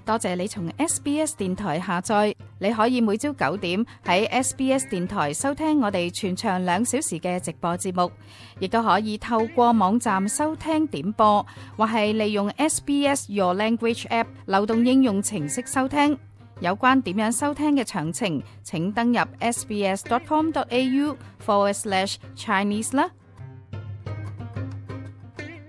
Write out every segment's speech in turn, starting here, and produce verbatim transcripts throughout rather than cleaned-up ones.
多謝你從 S B S 電台下載，你可以每朝九點喺 S B S 電台收聽我哋全長兩小時嘅直播節目，亦都可以透過網站收聽點播，或係利用 S B S Your Language App 流動應用程式收聽。有關點樣收聽嘅詳情，請登入 sbs.com.au forward slash Chinese 啦。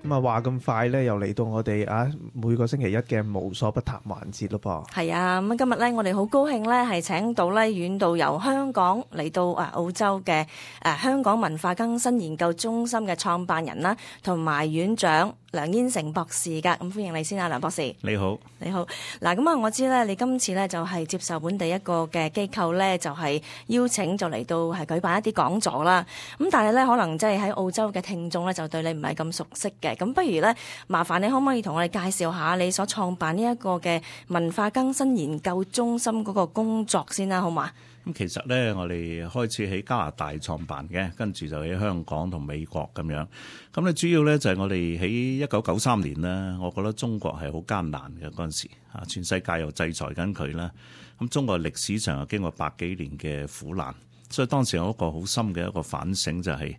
咁啊，話咁快咧，又嚟到我哋啊每個星期一嘅無所不談環節咯噃。係啊，咁今日咧，我哋好高興咧，係請到咧遠道由香港嚟到啊澳洲嘅誒香港文化更新研究中心嘅創辦人啦，同埋院長梁燕城博士噶。咁歡迎你先啊，梁博士。你好，你好。嗱，咁啊，我知咧，你今次咧就係接受本地一個嘅機構咧，就係邀請就嚟到係舉辦一啲講座啦。咁但係咧，可能即係喺澳洲嘅聽眾咧，就對你唔係咁熟悉嘅。咁不如咧，麻煩你可唔可以同我哋介紹下你所創辦呢一個嘅文化更新研究中心嗰個工作先啦，好嘛？咁其實咧，我哋開始喺加拿大創辦嘅，跟住就喺香港同美國咁樣。咁咧主要咧就係我哋喺一九九三年咧，我覺得中國係好艱難嘅嗰陣時，啊全世界又制裁緊佢啦。咁中國歷史上又經過百幾年嘅苦難，所以當時有一個好深嘅一個反省，就係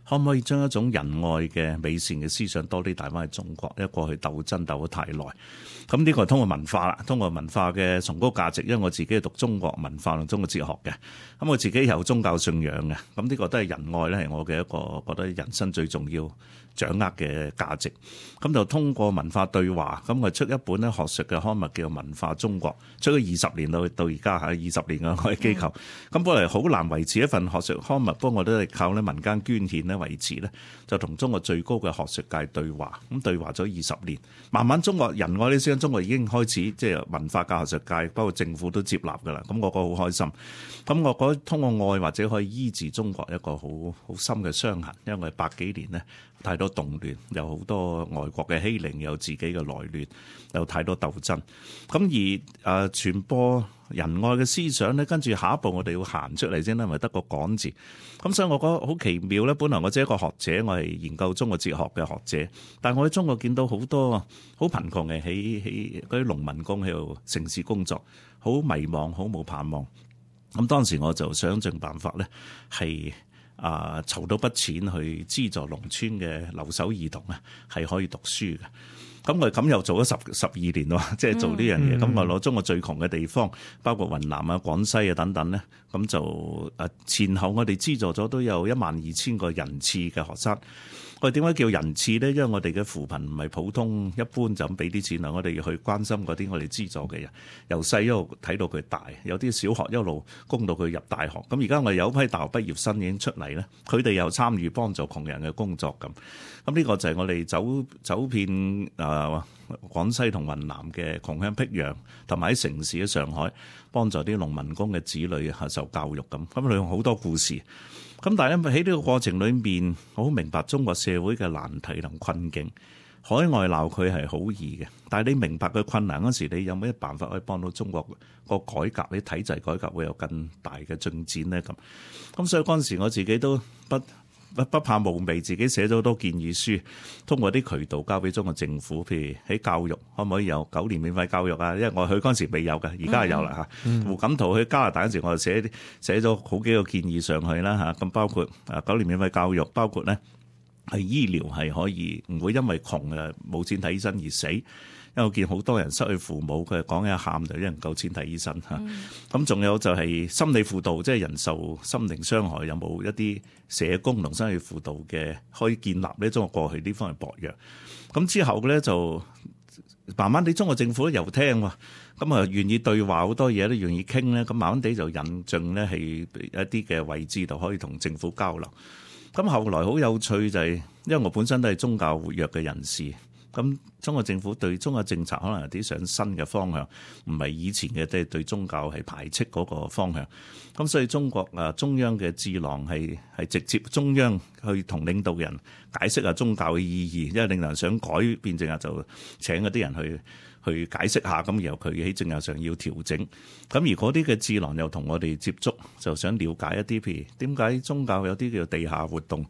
可唔可以將一種仁愛嘅美善嘅思想多啲帶翻去中國？因為過去鬥爭鬥得太耐，咁呢個係通過文化啦，通過文化嘅崇高價值。因為我自己係讀中國文化同中國哲學嘅，咁我自己有宗教信仰嘅，咁呢個都係仁愛咧，係我嘅一個覺得人生最重要掌握嘅價值。咁就通過文化對話，咁我出一本咧學術嘅刊物叫做《文化中國》，出咗二十年到到而家係二十年嘅我嘅機構。咁、嗯、本來好難維持一份學術刊物，不過我都係靠咧民間捐獻咧維持咧，就同中國最高嘅學術界對話，咁對話咗二十年，慢慢中國仁愛呢思想，中國已經開始即係文化界、學術界，包括政府都接納㗎啦。咁我覺得好開心。咁我覺得通過愛或者可以醫治中國一個好好深嘅傷痕，因為百幾年呢，太多動亂，有好多外國嘅欺凌，有自己嘅內亂，有太多鬥爭。咁而誒、呃、傳播仁愛嘅思想咧，跟住下一步我哋要行出嚟先啦，咪得個講字。咁所以我覺得好奇妙咧。本來我只係一個學者，我係研究中國哲學嘅學者，但係我喺中國見到好多好貧窮嘅喺喺嗰啲農民工喺度城市工作，好迷茫，好冇盼望。咁當時我就想盡辦法咧，係啊籌到筆錢去資助農村嘅留守兒童啊，係可以讀書嘅。咁我咁又做咗十十二年喎，即係做呢樣嘢。咁、嗯、我攞中國最窮嘅地方，包括雲南啊、廣西啊等等咧，咁就誒前後我哋資助咗都有一萬二千個人次嘅學生。我哋點解叫人次咧？因為我哋嘅扶貧唔係普通一般就咁俾啲錢啦，我哋要去關心嗰啲我哋資助嘅人，由細一路睇到佢大，有啲小學一路供到佢入大學。咁而家我哋有批大學畢業生已經出嚟咧，佢哋又參與幫助窮人嘅工作咁。咁呢個就係我哋走走遍誒、呃、廣西同雲南嘅窮鄉僻壤，同埋喺城市嘅上海幫助啲農民工嘅子女受教育咁。咁佢用好多故事。咁但係因為喺呢個過程裏面，我好明白中國社會嘅難題同困境。海外鬧佢係好易嘅，但係你明白佢困難嗰時，你有咩辦法可以幫到中國個改革？你體制改革會有更大嘅進展咧？咁咁所以嗰陣時我自己都不不不怕無味，自己寫咗好多建議書，通過啲渠道交俾中國政府，譬如喺教育可唔可以有九年免費教育啊？因為我去嗰陣時未有嘅，而家係有啦嚇。嗯、胡錦濤去加拿大嗰陣時，我就寫寫咗好幾個建議上去啦嚇。咁包括啊九年免費教育，包括咧係醫療係可以唔會因為窮誒冇錢睇醫生而死。因為我見好多人失去父母，佢講一喊就有人夠錢睇醫生嚇。咁仲、嗯、有就係心理輔導，即係人受心靈傷害，有冇一啲社工同心理輔導嘅可以建立呢？中國過去呢方面薄弱。咁之後咧就慢慢地中國政府又聽喎，咁啊願意對話，好多嘢都願意傾咧。咁慢慢地就引進咧係一啲嘅位置度可以同政府交流。咁後來好有趣就係、是，因為我本身都係宗教活躍嘅人士。咁中國政府對中國政策可能有啲想新嘅方向，唔係以前嘅即係對宗教係排斥嗰個方向。咁所以中國啊中央嘅智囊係係直接中央去同領導人解釋下宗教嘅意義，因為領導人想改變政策就請嗰啲人去去解釋下，咁然後佢喺政策上要調整。咁而嗰啲嘅智囊又同我哋接觸，就想了解一啲譬如點解宗教有啲叫地下活動，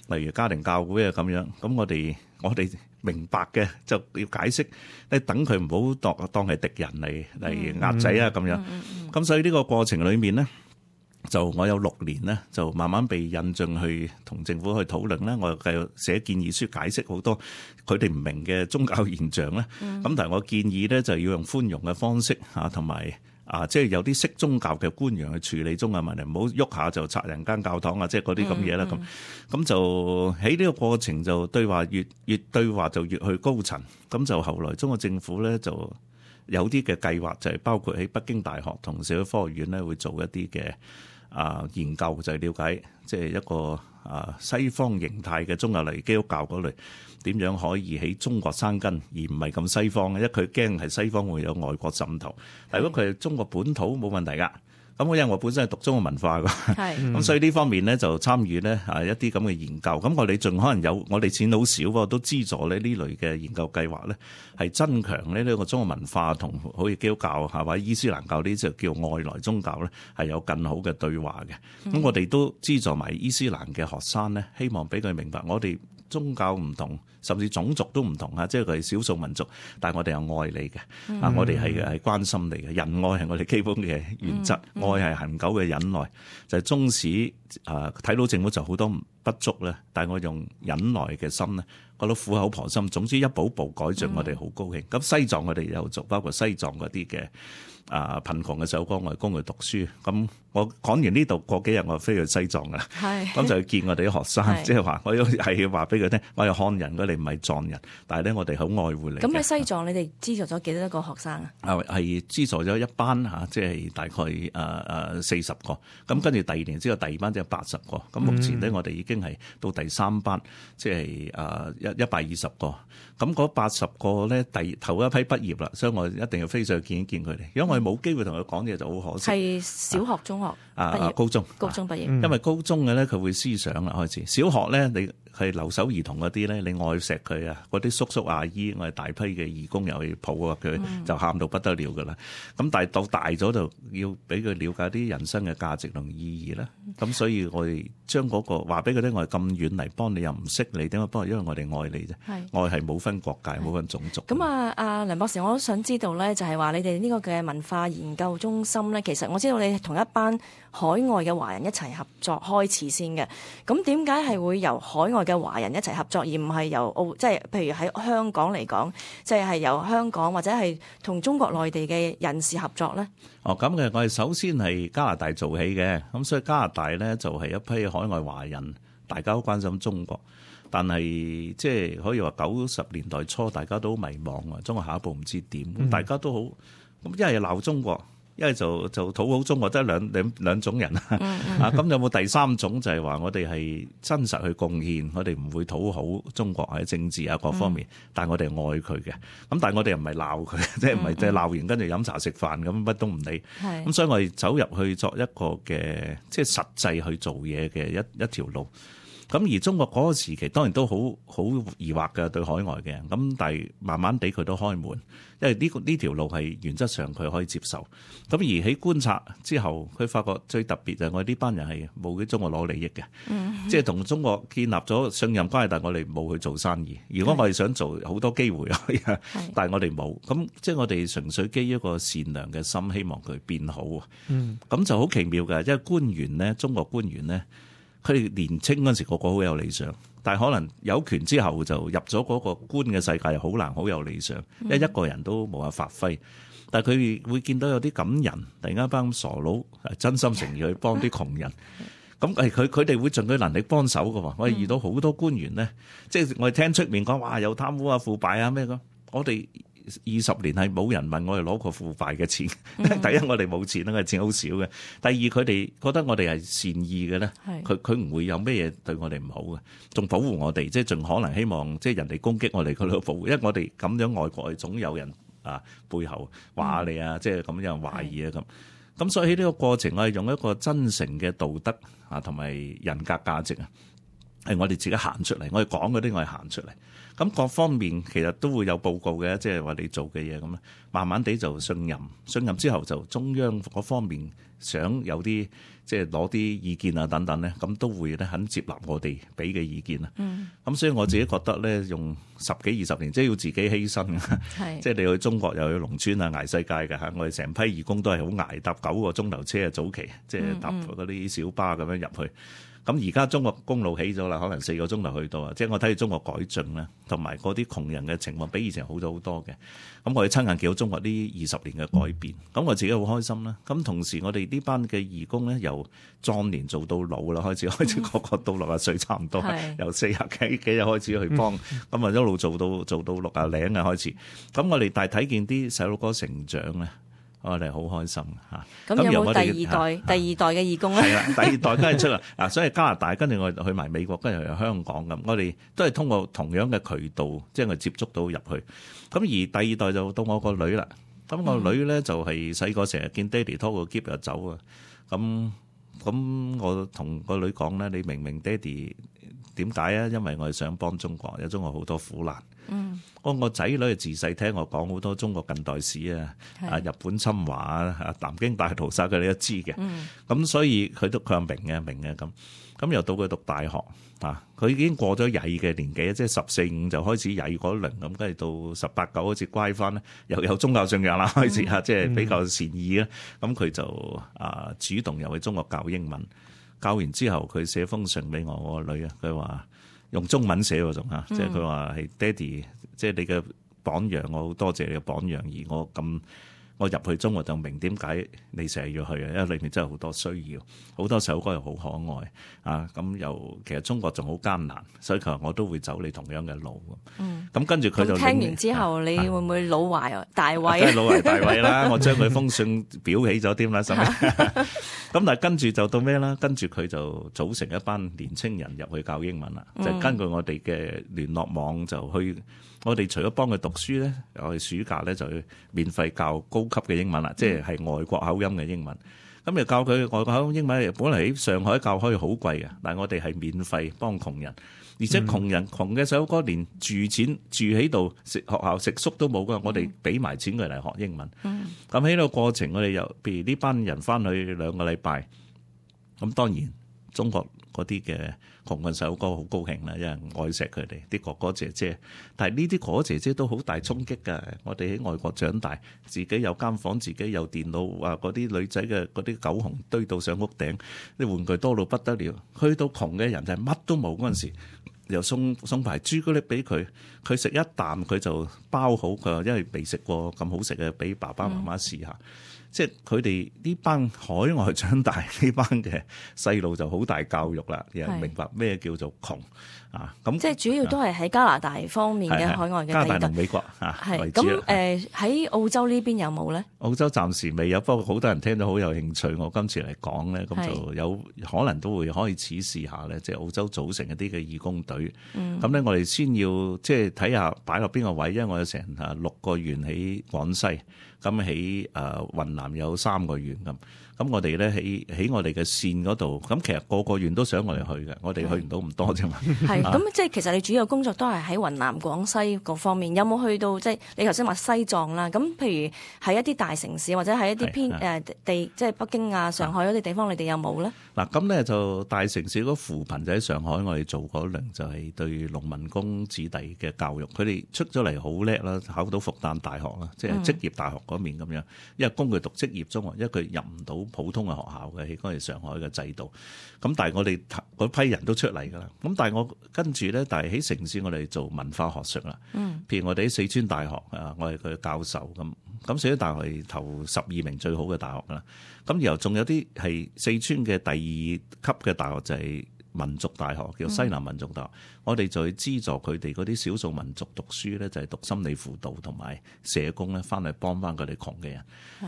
例如家庭教會啊咁樣。咁我哋我哋明白嘅就要解釋，你等佢唔好當當係敵人嚟嚟壓仔啊咁樣。咁、嗯嗯嗯、所以呢個過程裏面咧，就我有六年咧，就慢慢被引進去同政府去討論咧，我又繼續寫建議書解釋好多佢哋唔明嘅宗教現象咧。咁、嗯、但係我建議咧就要用寬容嘅方式嚇，同埋啊，即係有啲識宗教嘅官員去處理宗教問題，唔好喐下就拆人間教堂啊，即係嗰啲咁嘢啦。咁咁、嗯嗯、就喺呢個過程就對話越越對話就越去高層。咁就後來中國政府咧就有啲嘅計劃，就係包括喺北京大學同社會科學院咧會做一啲嘅啊研究，就係了解即係一個啊西方形態嘅宗教嚟基督教嗰類點樣可以喺中國生根，而唔係咁西方嘅，因為佢驚係西方會有外國滲透。但如果佢係中國本土冇問題㗎。咁因為我本身係讀中國文化㗎，咁是所以呢方面咧就參與咧啊一啲咁嘅研究。咁我哋盡可能有，我哋錢好少喎，都資助咧呢類嘅研究計劃咧，係增強咧呢個中國文化同好似基督教或者伊斯蘭教呢就叫外來宗教咧，係有更好嘅對話嘅。咁、嗯、我哋都資助埋伊斯蘭嘅學生咧，希望俾佢明白我哋宗教唔同，甚至種族都唔同啊！即係佢係少數民族，但係我哋有愛你嘅，啊、嗯，我哋係係關心你嘅，仁愛係我哋基本嘅原則，嗯嗯、愛係恆久嘅忍耐，就係、是、縱使啊睇到政府就好多不足咧，但係我用忍耐嘅心咧，覺得苦口婆心，總之一步步改進，我哋好高興。咁、嗯、西藏我哋有做，包括西藏嗰啲嘅啊貧窮嘅首歌，我哋供佢讀書。咁我講完呢度，過幾日我飛去西藏㗎，咁是就去見我哋啲學生，即係話我要係要話俾佢聽，我係漢人，我哋唔係藏人，但係咧我哋好愛護你。咁喺西藏，你哋資助咗幾多個學生啊？啊，係資助咗一班嚇，即係大概誒誒四十個。咁跟住第二年之後，第二班即係八十個。咁目前咧，我哋已經係到第三班，即係誒一一百二十個。咁嗰八十個咧，第頭一批畢業啦，所以我一定要飛上去見一見佢哋。如果我哋冇機會同佢講嘢，就好可惜。係小學、中學啊，畢業高中、高中畢業。因為高中嘅咧，佢會思想啦開始。小學咧，你係留守兒童嗰啲咧，你愛錫佢啊，嗰啲叔叔阿姨，我哋大批嘅義工又去抱啊佢，就喊到不得了噶啦。咁但係到大咗就要俾佢了解啲人生嘅價值同意義啦。咁所以我哋將嗰個話俾佢聽，我哋咁遠嚟幫你又唔識你，點解幫？因為我哋愛你啫，愛係冇分國界、冇分種族。咁啊，阿梁博士，我都想知道咧，就係話你哋呢個嘅文化研究中心咧，其實我知道你同一班海外嘅華人一齊合作開始先嘅。咁點解係會由海外嘅華人一齊合作，而唔係由澳，即係譬如喺香港嚟講，即係係由香港或者係同中國內地嘅人士合作咧？哦，咁嘅，我哋首先係加拿大做起嘅，咁所以加拿大咧就係一批海外華人，大家都關心中國。但係即係可以話九十年代初大家都迷茫啊，中國下一步唔知點，嗯、大家都好咁，一係鬧中國，一係就就討好中國，得兩兩兩種人、嗯嗯、啊。咁有冇第三種就係話我哋係真實去貢獻，我哋唔會討好中國喺政治啊各方面，嗯、但係我哋愛佢嘅。咁但係我哋又唔係鬧佢，即係唔係即係鬧完跟住飲茶食飯咁乜都唔理。咁是所以我哋走入去作一個嘅即係實際去做嘢嘅一一條路。咁而中國嗰個時期當然都好好疑惑嘅對海外嘅人，咁但係慢慢地佢都開門，因為呢個呢條路係原則上佢可以接受。咁而喺觀察之後，佢發覺最特別就係我哋呢班人係冇喺中國攞利益嘅，嗯、即係同中國建立咗信任關係，但係我哋冇去做生意。如果我哋想做好多機會啊，是但係我哋冇。咁即係我哋純粹基於一個善良嘅心，希望佢變好啊。咁、嗯、就好奇妙嘅，因為官員咧，中國官員咧。佢哋年青嗰陣時個個好有理想，但係可能有權之後就入咗嗰個官嘅世界，又好難好有理想，因為一個人都冇法發揮。但係佢會見到有啲感人，突然間一班傻佬真心誠意去幫啲窮人，咁係佢佢哋會盡佢能力幫手㗎喎。我哋遇到好多官員咧，即係我哋聽出面講話有貪污啊、腐敗啊咩咁，我哋二十年係冇人問我哋攞過腐敗嘅錢。嗯、第一我哋冇錢啦，我哋錢好少嘅。第二佢哋覺得我哋係善意嘅咧，佢佢唔會有咩嘢對我哋唔好嘅，仲保護我哋，即係盡可能希望即係人哋攻擊我哋佢都保護，因為我哋咁樣外國係總有人啊背後話你啊，嗯、即係咁樣懷疑啊咁。咁是所以喺呢個過程，我係用一個真誠嘅道德啊同埋人格價值啊，係我哋自己行出嚟，我哋講嗰啲我係行出嚟。咁各方面其實都會有報告嘅，即係話你做嘅嘢咁咧，慢慢地就信任，信任之後就中央嗰方面想有啲即係攞啲意見啊等等咧，咁都會咧肯接納我哋俾嘅意見啊。嗯。咁所以我自己覺得咧，用十幾二十年，即係要自己犧牲嘅，即係你去中國又去農村啊，捱世界嘅嚇，我哋成批義工都係好捱，搭九個鐘頭車啊，早期即係搭嗰啲小巴咁樣入去。咁而家中國公路起咗啦，可能四個鐘頭去到啊！即係我睇到中國改進咧，同埋嗰啲窮人嘅情況比以前好咗好多嘅。咁我哋親眼見到中國呢二十年嘅改變，咁我自己好開心啦。咁同時我哋呢班嘅義工咧，由壯年做到老啦，開始開始個個到六十歲差唔多，由四十幾幾日開始去幫，咁啊一路做到做到六啊零啊開始。咁我哋但係睇見啲細路哥成長咧。我哋好開心嚇。咁有冇第二代、第二代嘅義工咧？係啦，第二代梗係出啦。嗱，所以加拿大跟住我哋去埋美國，跟住去香港咁，我哋都係通過同樣嘅渠道，即係我接觸到入去。咁而第二代就到我個女啦。咁我女咧就係細個成日見爹哋拖個篋就走啊。咁咁我同個女講咧，你明明爹哋點解啊？因為我係想幫中國，有中國好多苦難。嗯，我個仔女自細聽我講好多中國近代史啊，啊日本侵華啊，南京大屠殺佢哋都知嘅。嗯，咁所以佢都佢話明嘅明嘅咁，咁又到佢讀大學啊，佢已經過咗曳嘅年紀，即係十四五就開始曳嗰輪咁，跟住到十八九好似乖翻咧，又有宗教信仰啦，開始嚇，即係比較善意啦。咁佢就啊主動又去中國教英文，教完之後佢寫封信俾我我個女啊，佢話。用中文寫喎仲嚇，即係佢話係爹哋，即係你嘅榜樣，我好多謝你嘅榜樣，而我咁我入去中國就明點解你成日要去啊，因為裏面真係好多需要，好多首歌又好可愛啊，咁又其實中國仲好艱難，所以佢話我都會走你同樣嘅路。嗯，咁跟住佢就聽完之後，你會唔會老懷大慰？梗係老懷大慰啦！我將佢封信裱起咗添啦，咁但係跟住就到咩啦？跟住佢就組成一班年青人入去教英文啦，嗯、就根據我哋嘅聯絡網就去。我哋除咗幫佢讀書咧，我哋暑假咧就去免費教高級嘅英文啦，嗯、即係係外國口音嘅英文。咁就教佢外國口音英文，本嚟喺上海教可以好貴嘅，但係我哋係免費幫窮人，而且窮人、嗯、窮嘅細路哥連住錢住喺度食學校食宿都冇㗎，我哋俾埋錢佢嚟學英文。咁喺呢個過程，我哋又譬如呢班人翻去兩個禮拜，咁當然中國嗰啲嘅窮嘅細路哥好高興啦，因為愛錫佢哋啲哥哥姐姐。但係呢啲哥哥姐姐都好大衝擊㗎。我哋喺外國長大，自己有間房，自己有電腦，啊嗰啲女仔嘅嗰啲狗熊堆到上屋頂，啲玩具多到不得了。去到窮嘅人就係乜都冇嗰陣時，又送送排朱古力俾佢，佢食一啖佢就包好。佢話因為未食過咁好食嘅，俾爸爸媽媽試下。嗯即係佢哋呢班海外長大呢班嘅細路就好大教育啦，又明白咩叫做窮啊！咁即係主要都係喺加拿大方面嘅海外嘅加拿大同美國啊為主。咁誒喺澳洲呢邊有冇咧？澳洲暫時未有，不過好多人聽到好有興趣。我今次嚟講咧，咁就有可能都會開始試下咧，即係澳洲組成一啲嘅義工隊。咁、嗯、咧，我哋先要即係睇下擺落邊個位，因為我有成啊六個縣喺廣西。咁喺誒雲南有三個縣咁，咁我哋咧喺喺我哋嘅線嗰度，咁其實個個縣都想我哋去嘅，我哋去唔到咁多啫嘛。係，咁即係其實你主要工作都係喺雲南、廣西各方面，有冇去到即係你頭先話西藏啦？咁譬如喺一啲大城市或者喺一啲偏誒地，即係北京啊、上海嗰啲地方，你哋有冇咧？嗱，咁咧就大城市嗰扶貧就喺上海，我哋做嗰輪就係對農民工子弟嘅教育，佢哋出咗嚟好叻啦，考到復旦大學啦，即係職業大學嗰面咁樣，因為供佢讀職業中學，因為佢入唔到普通嘅學校嘅，喺嗰陣上海嘅制度。咁但係我哋嗰批人都出嚟㗎啦。咁但係我跟住咧，但係喺城市我哋做文化學術啦。嗯，譬如我哋喺四川大學啊，我係佢嘅教授咁。咁四川大學係頭十二名最好嘅大學啦。咁然後仲有啲係四川嘅第二級嘅大學就係民族大學，叫西南民族大學。嗯、我哋就去資助佢哋嗰啲少數民族讀書咧，就係讀心理輔導同埋社工咧，翻嚟幫翻佢哋窮嘅人。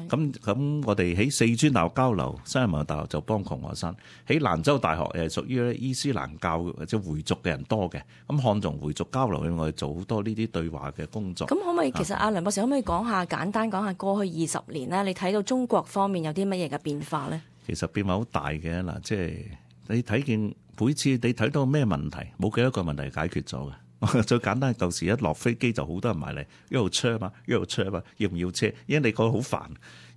咁咁，我哋喺四川大學交流，西南民族大學就幫窮學生。喺蘭州大學誒，屬於咧伊斯蘭教或者回族嘅人多嘅。咁漢族回族交流，我哋做好多呢啲對話嘅工作。咁可唔可以？其實阿梁博士可唔可以講下簡單講下過去二十年咧，你睇到中國方面有啲乜嘢嘅變化咧？其實變化好大嘅嗱，即係你睇見。每次你睇到咩問題，冇幾多個問題解決咗嘅，最簡單，舊時一落飛機就好多人埋嚟，一路車嘛，一路車嘛，要唔要車？因為你覺得好煩。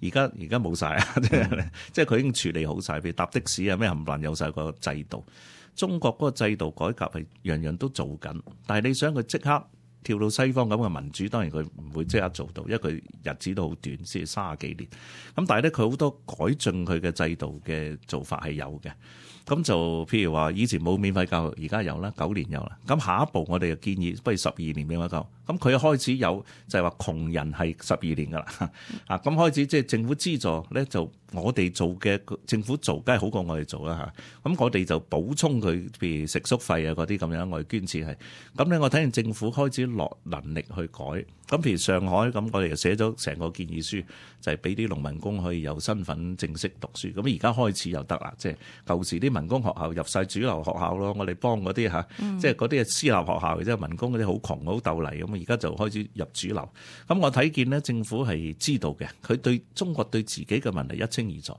而家而家冇晒啊！即係即係佢已經處理好晒，譬如搭的士啊咩冚唪唥有晒個制度。中國嗰個制度改革係樣樣都做緊，但係你想佢即刻跳到西方咁嘅民主，當然佢唔會即刻做到，因為佢日子都好短，先三十幾年。咁但係咧，佢好多改進佢嘅制度嘅做法係有嘅。咁就譬如話，以前冇免費教育，而家有啦，九年有啦。咁下一步我哋就建議，不如十二年免費教育。咁佢開始有就係話窮人係十二年噶啦。啊，咁開始即係政府資助咧，就我哋做嘅政府做，梗係好過我哋做啦嚇。咁我哋就補充佢，譬如食宿費啊嗰啲咁樣，我哋捐錢係。咁咧，我睇見政府開始落能力去改。咁譬如上海咁，我哋就寫咗成個建議書，就係俾啲農民工可以有身份正式讀書。咁而家開始又得啦，即係舊時啲民工學校入晒主流學校咯，我哋幫嗰啲嚇，即係嗰啲係私立學校，即係民工嗰啲好窮好鬥泥咁，而家就開始入主流。咁我睇見咧，政府係知道嘅，佢對中國對自己嘅問題一清二楚。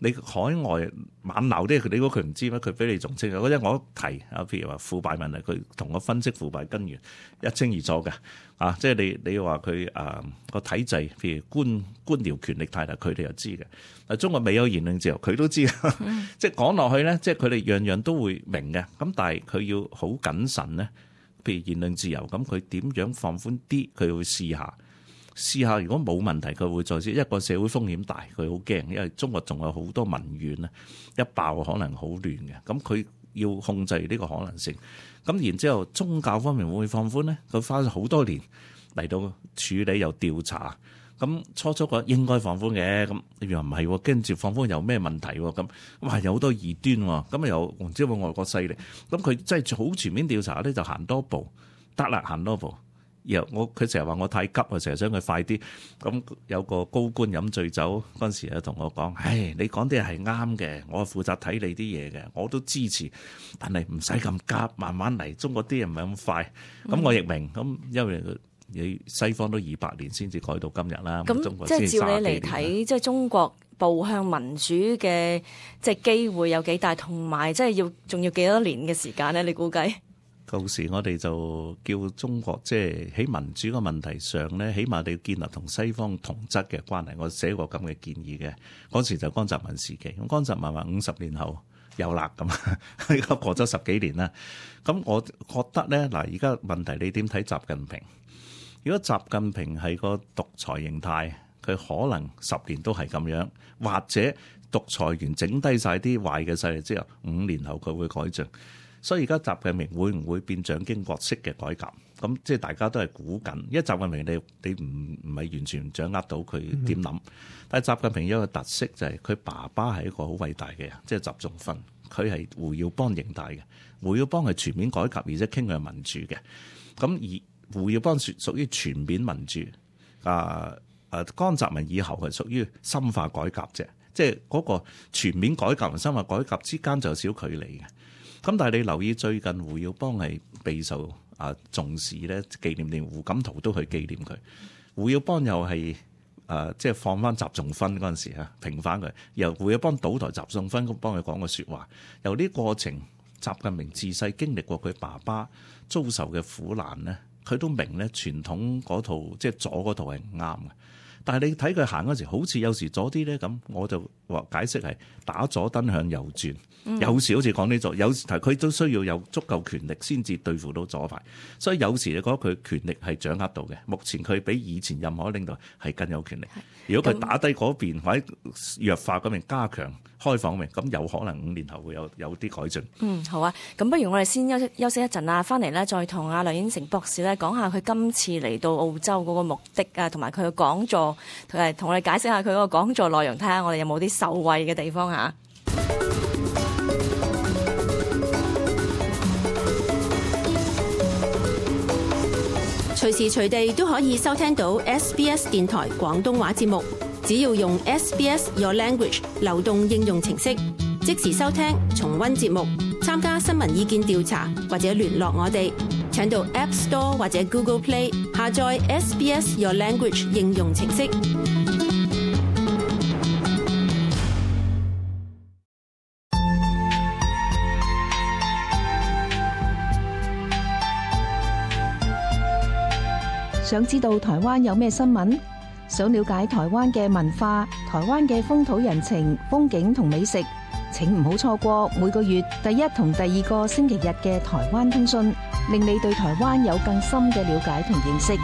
你海外猛鬧啲，你估佢唔知咩？佢比你仲清楚。嗰陣我提啊，譬如話腐敗問題，佢同我分析腐敗根源一清二楚嘅。啊，即係你你話佢啊個體制，譬如官官僚權力太大，佢哋又知嘅。啊，中國未有言論自由，佢都知。嗯、即係講落去咧，即係佢哋樣樣都會明嘅。咁但係佢要好謹慎咧。譬如言論自由，咁佢點樣放寬啲？佢會試下。試下，如果冇問題，佢會再試。一個社會風險大，佢好驚，因為中國仲有好多民怨咧，一爆可能好亂嘅。咁佢要控制呢個可能性。咁然之後，宗教方面會唔會放寬呢？佢花咗好多年嚟到處理又調查。咁初初覺得應該放寬嘅，咁又唔係，跟住放寬有咩問題？咁哇有好多異端喎，咁又唔知有冇外國勢力。咁佢真係好全面調查咧，就行多步得啦，行多步。然後我佢成日話我太急啊，成日想佢快啲。咁有個高官飲醉酒嗰陣時啊，同我講：唉，你講啲係啱嘅，我係負責睇你啲嘢嘅，我都支持。但係唔使咁急，慢慢嚟。中國啲人唔係咁快。咁我亦明。咁因為你西方都二百年先至改到今日啦。咁即係照你嚟睇，即係中國步向民主嘅即係機會有幾大，同埋即係要仲要幾多年嘅時間咧？你估計？舊時我哋就叫中國即係喺民主個問題上咧，起碼你要建立同西方同質嘅關係。我寫過咁嘅建議嘅，嗰時就江澤民時期。咁江澤民話五十年後有辣咁，而家過咗十幾年啦。咁我覺得咧，嗱，而家問題你點睇習近平？如果習近平係個獨裁形態，佢可能十年都係咁樣，或者獨裁完整低晒啲壞嘅勢力之後，五年後佢會改進。所以而家習近平會唔會變蔣經國式嘅改革？咁即係大家都係估緊，因為習近平你你唔唔係完全掌握到佢點諗。嗯、但係習近平有一個特色就係佢爸爸係一個好偉大嘅人，即係習仲勳，佢係胡耀邦形態嘅。胡耀邦係全面改革而且傾向民主嘅。咁而胡耀邦屬屬於全面民主，啊啊江澤民以後係屬於深化改革啫。即係嗰個全面改革同深化改革之間就有少距離嘅。咁但係你留意最近胡耀邦係備受啊重視咧，紀念連胡錦濤都去紀念佢。胡耀邦又係啊即係放翻習仲勳嗰陣時啊，平反佢，由胡耀邦倒台，習仲勳幫佢講個説話。由呢過程，習近平自細經歷過佢爸爸遭受嘅苦難咧，佢都明咧傳統嗰套即係左嗰套係唔啱嘅。但係你睇佢行嗰時，好似有時左啲咧咁，我就話解釋係打左燈向右轉。嗯、有時好似講呢左，有時佢都需要有足夠權力先至對付到左派。所以有時你覺得佢權力係掌握到嘅。目前佢比以前任何領導係更有權力。如果佢打低嗰邊或者弱化嗰邊加強開放嗰邊，咁有可能五年後會有有啲改進。嗯，好啊。咁不如我哋先休息休息一陣啊，翻嚟咧再同阿梁燕城博士咧講下佢今次嚟到澳洲嗰個目的啊，同埋佢嘅講座，同埋同我哋解釋下佢嗰個講座內容，睇下我哋有冇啲受惠嘅地方嚇。隨時隨地都可以收聽到 S B S 電台廣東話節目，只要用 S B S Your Language 流動應用程式，即時收聽、重溫節目、參加新聞意見調查或者聯絡我哋，請到 App Store 或者 Google Play 下載 S B S Your Language 應用程式。想知道台灣有咩新聞？想了解台灣嘅文化、台灣嘅風土人情、風景同美食，請唔好錯過每個月第一同第二個星期日嘅台灣通訊，令你對台灣有更深嘅了解同認識。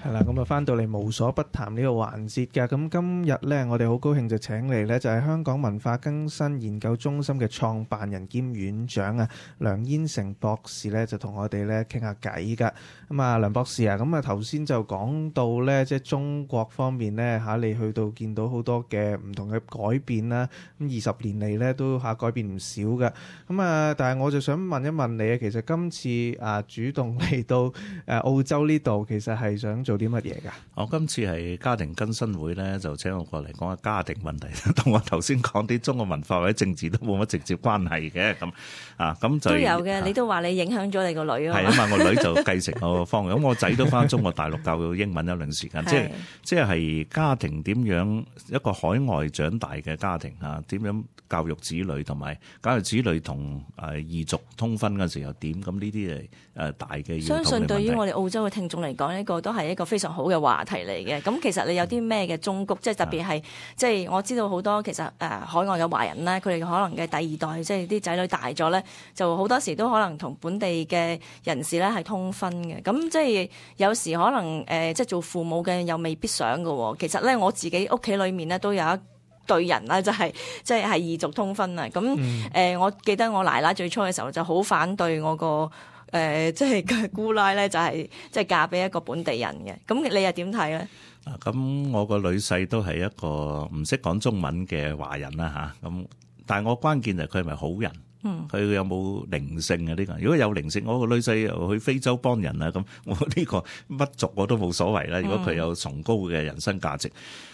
係啦，咁啊翻到嚟無所不談呢個環節㗎。咁今日呢，我哋好高興就請嚟呢，就係香港文化更新研究中心嘅創辦人兼院長啊，梁燕城博士呢，就同我哋呢傾下偈㗎。咁啊，梁博士啊，咁啊頭先就講到呢，即係中國方面呢，嚇，你去到見到好多嘅唔同嘅改變啦。咁二十年嚟呢，都嚇改變唔少㗎。咁啊，但係我就想問一問你啊，其實今次啊主動嚟到誒澳洲呢度，其實係想做啲乜嘢㗎？我今次係家庭更新會咧，就請我過嚟講下家庭問題，同我頭先講啲中國文化或者政治都冇乜直接關係嘅咁啊，咁就都有嘅。你都話你影響咗你個女啊？係啊嘛，我女就繼承我個方向，咁我仔都翻中國大陸教英文一段時間，即係即係家庭點樣一個海外長大嘅家庭啊，點樣教育子女同埋教育子女同誒異族通婚嗰陣時又點？咁呢啲係誒大嘅要討論問題。相信對於我哋澳洲嘅聽眾嚟講，呢個都係一個非常好嘅話題嚟嘅。咁其實你有啲咩嘅忠告，即係特別係即係我知道好多其實誒海外嘅華人咧，佢哋可能嘅第二代即係啲仔女大咗咧，就好多時都可能同本地嘅人士咧係通婚嘅。咁即係有時可能誒即係做父母嘅又未必想嘅。其實咧我自己屋企裏面咧都有一對人啦，就係即係係異族通婚啊！咁誒、嗯呃，我記得我奶奶最初嘅時候就好反對我個誒，即係嘅姑奶咧，就係即係嫁俾一個本地人嘅。咁你又點睇咧？啊，咁我個女婿都係一個唔識講中文嘅華人啦吓，咁但係我關鍵就係佢係咪好人？嗯，佢有冇靈性啊？呢個如果有靈性，我個女婿又去非洲幫人啊，咁我呢個乜族我都冇所謂啦。如果佢有崇高嘅人生價值，咁、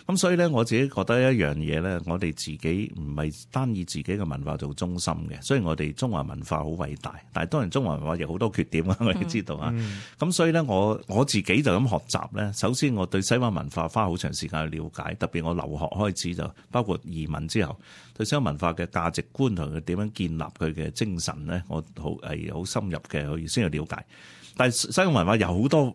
嗯、所以咧我自己覺得一樣嘢咧，我哋自己唔係單以自己嘅文化做中心嘅。雖然我哋中華文化好偉大，但係當然中華文化有好多缺點啊，我哋知道啊。咁、嗯嗯、所以咧，我我自己就咁學習咧。首先，我對西方文化花好長時間去了解，特別我留學開始就包括移民之後，對西方文化嘅價值觀同佢點樣建立佢嘅精神咧，我好係好深入嘅去先去了解。但係西方文化有好多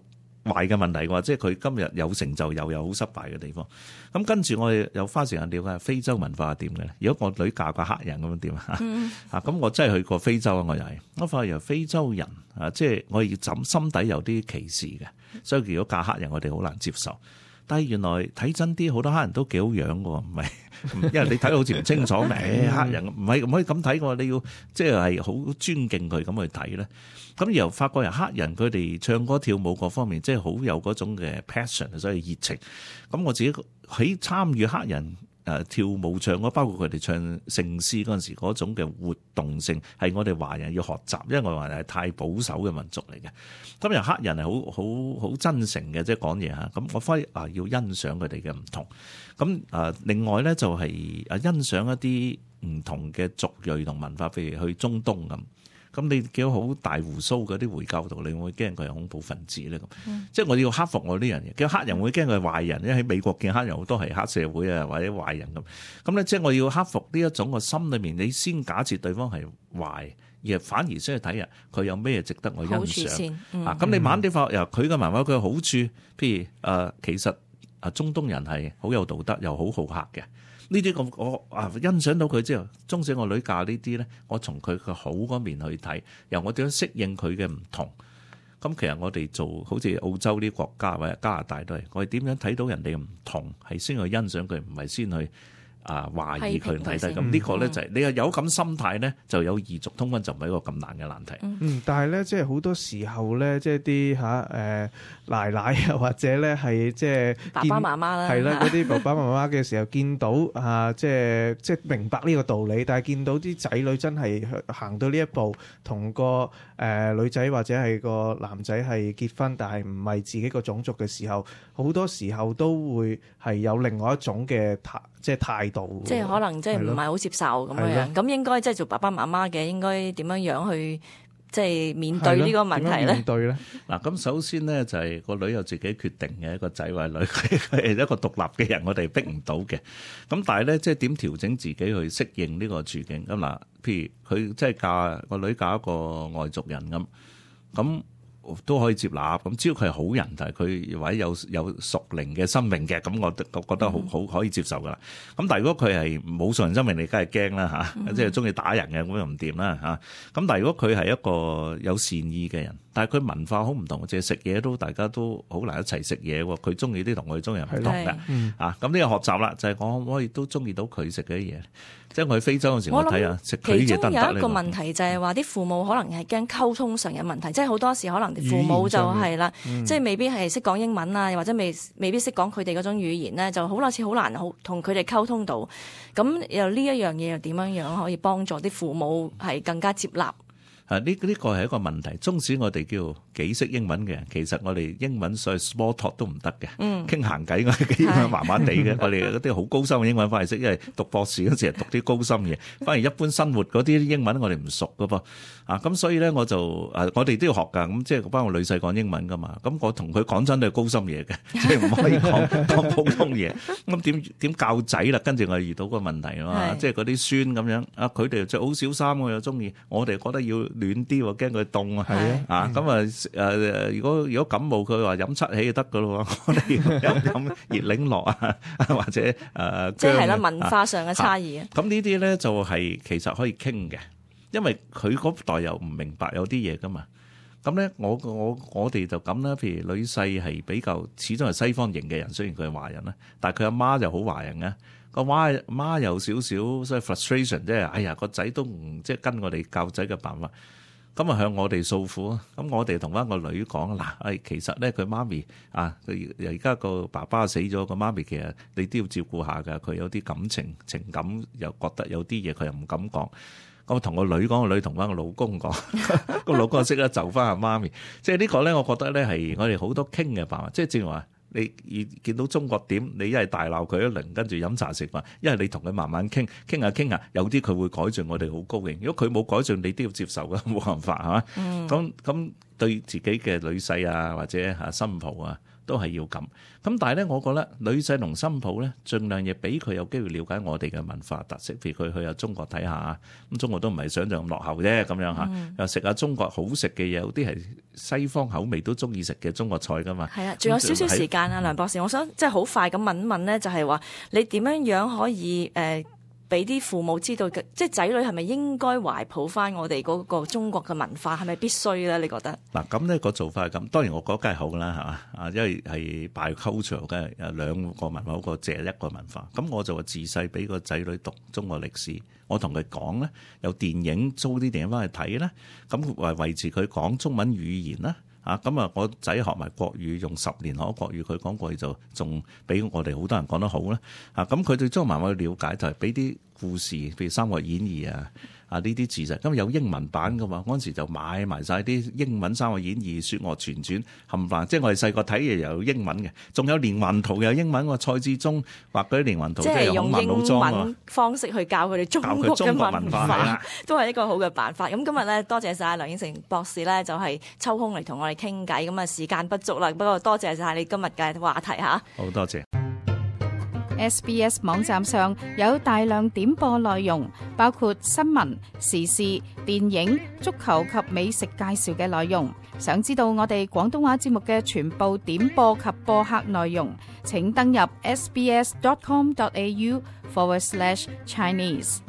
壞嘅問題嘅話，即係佢今日有成就又有好失敗嘅地方。咁跟住我哋又花時間了解非洲文化係點嘅咧。如果我女嫁個黑人咁樣點啊？嗯、啊咁我真係去過非洲啊！我又係我發現非洲人啊，即係我要枕心底有啲歧視嘅，所以如果嫁黑人我哋好難接受。但係原來睇真啲，好多黑人都幾好樣嘅喎，唔係，因為你睇到好似唔清楚咩、欸、黑人唔係唔可以咁睇嘅喎，你要即係係好尊敬佢咁去睇咧。咁由法國人黑人佢哋唱歌跳舞各方面，即係好有嗰種嘅 passion， 所以熱情。咁我自己喺參與黑人誒跳舞唱歌，包括佢哋唱聖詩嗰陣時嗰種嘅活動性，係我哋華人要學習，因為我哋華人係太保守嘅民族嚟嘅。咁由黑人係好好好真誠嘅，即係講嘢嚇。咁我反而啊要欣賞佢哋嘅唔同。咁啊另外咧就係啊欣賞一啲唔同嘅族裔同文化，譬如去中東咁。咁你見到好大鬍鬚嗰啲回教徒，你會驚佢係恐怖分子咧咁？嗯、即係我哋要克服我呢樣嘢。叫黑人會驚佢係壞人，因為喺美國見黑人好多係黑社會啊或者壞人咁。咁咧即係我要克服呢一種個心裏面，你先假設對方係壞，而反而先去睇下佢有咩值得我欣賞。嗯、啊，咁你慢啲發由佢嘅文化佢嘅好處，譬如誒、呃，其實啊中東人係好有道德又好好客嘅。呢啲咁我啊欣賞到佢之後，中使我女嫁呢啲咧，我從佢嘅好嗰面去睇，由我點樣適應佢嘅唔同。咁其實我哋做好似澳洲啲國家或者加拿大都係，我哋點樣睇到人哋嘅唔同，係先去欣賞佢，唔係先去啊懷疑佢睇睇。咁呢個咧就係、是、你有咁心態咧，就有異族通婚就唔係一個咁難嘅難題。嗯，但係咧即係好多時候咧，即係啲嚇誒奶奶啊，或者咧係即係爸爸媽媽啦，係啦嗰啲爸爸媽媽嘅時候見到啊，即係即係明白呢個道理，但係見到啲仔女真係行到呢一步，同個誒、呃、女仔或者係個男仔係結婚，但係唔係自己個種族嘅時候，好多時候都會係有另外一種嘅態即係態度，即係可能即係唔係好接受咁樣。咁應該即係做爸爸媽媽嘅應該點樣樣去即係面對呢個問題咧？面對咧？嗱，咁首先咧就係個女有自己決定嘅，一個仔或女，佢係一個獨立嘅人，我哋逼唔到嘅。咁但係咧，即係點調整自己去適應呢個處境？咁嗱，譬如佢即係嫁個女嫁一個外族人咁，咁都可以接納。咁只要佢係好人，但係佢或者有有屬靈嘅生命嘅，咁我我覺得好好可以接受噶啦。咁但係如果佢係冇屬靈生命，你梗係驚啦嚇，即係中意打人嘅，咁又唔掂啦嚇。咁但係如果佢係一個有善意嘅人，但係佢文化好唔同，即係食嘢都大家都好難一齊食嘢喎。佢中意啲同我哋中意唔同嘅啊。咁呢個學習啦，就係我可唔可以都中意到佢食嘅嘢？即係我去非洲嗰時，我睇下食佢嘢得唔得咧？其中有一個問題就係話啲父母可能係驚溝通上嘅問題，即係好多時可能父母就係啦，嗯、即係未必係識講英文啊，又或者未未必識講佢哋嗰種語言咧，就好多次好難好同佢哋溝通到。咁又呢一樣嘢又點樣樣可以幫助啲父母係更加接納？啊！呢呢個係一個問題。縱使我哋叫幾識英文嘅人，其實我哋英文所謂 small talk 都唔得嘅。嗯，傾閒偈我哋英文麻麻地嘅。我哋嗰啲好高深嘅英文反而識，因為讀博士嗰時係讀啲高深嘢，反而一般生活嗰啲英文我哋唔熟噶噃。啊，咁所以咧我就啊，我哋都要學㗎。咁即係包括女婿講英文㗎嘛。咁我同佢講真都係高深嘢嘅，即係唔可以講講普通嘢。咁點點教仔啦？跟住我遇到個問題啊嘛，即係嗰啲孫咁樣啊，佢哋着好少衫我又中意，我哋覺得要暖啲喎，驚佢凍啊！係啊，咁啊誒，如果如果感冒，佢話飲七喜就得噶咯喎，我哋飲飲熱檸樂啊，或者誒，即係啦，文化上嘅差異啊。咁呢啲咧就係其實可以傾嘅，因為佢嗰代又唔明白有啲嘢噶嘛。咁咧，我我我哋就咁啦。譬如女婿係比較始終係西方型嘅人，雖然佢係華人啦，但係佢阿媽就好華人嘅。個媽媽有少少所以 frustration，即係哎呀個仔都唔即係跟我哋教仔嘅辦法。咁啊向我哋訴苦啊！咁我哋同翻個女講嗱，誒其實咧佢媽咪啊，佢而家個爸爸死咗，個媽咪其實你都要照顧下㗎。佢有啲感情情感，又覺得有啲嘢佢又唔敢講。咁我同個女講，個女同翻個老公講，個老公識得就翻阿媽咪。即係呢個咧，我覺得咧係我哋好多傾嘅辦法。即係正如話。你見到中國點？你一係大鬧佢一輪，跟住飲茶食飯；一係你同佢慢慢傾，傾下傾下，有啲佢會改進，我哋好高興。如果佢冇改進，你都要接受㗎，冇辦法係嘛？咁咁、嗯、對自己嘅女婿啊，或者嚇新抱啊，都係要咁。咁但係咧，我覺得女婿同新抱咧，盡量亦俾佢有機會了解我哋嘅文化特色。譬如佢去下中國睇下，咁中國都唔係想像咁落後啫，咁樣嚇。又食下中國好食嘅嘢，有啲係西方口味都中意食嘅中國菜噶嘛。係啊，仲有少少時間啊，梁博士，我想即係好快咁問一問咧，就係話你點樣樣可以誒？呃俾啲父母知道，即係仔女係咪應該懷抱翻我哋嗰個中國嘅文化，係咪必須咧？你覺得？嗱，咁呢個做法係咁，當然我覺得梗係好啦，係嘛啊，因為係 bicultural 嘅，誒兩個文化好過借一個文化。咁我就話自細俾個仔女讀中國歷史，我同佢講咧，有電影租啲電影翻去睇咧，咁維維持佢講中文語言啦。啊，咁啊，我仔學埋國語，用十年學國語，佢講國語就仲比我哋好多人講得好啦。啊，咁佢對中國文化去了解就係俾啲故事，譬如《三國演義》啊。啊！呢啲字實，咁有英文版噶嘛？嗰陣時就買埋晒啲英文《三國演義》、《説岳全傳》冚唪唥，即係我哋細個睇嘢又有英文嘅，仲有連環圖又有英文喎。蔡志忠畫嗰啲連環圖，即係用英文方式去教佢哋中國嘅文化，都係一個好嘅辦法。咁今日咧，多謝晒梁燕城博士咧，就係抽空嚟同我哋傾偈。咁啊，時間不足啦，不過多謝晒你今日嘅話題嚇。好多謝。S B S 網站上有大量點播內容，包括新聞、時事、電影、足球及美食介紹嘅內容。想知道我哋廣東話節目嘅全部點播及播客內容，請登入 sbs dot com dot a u forward slash Chinese。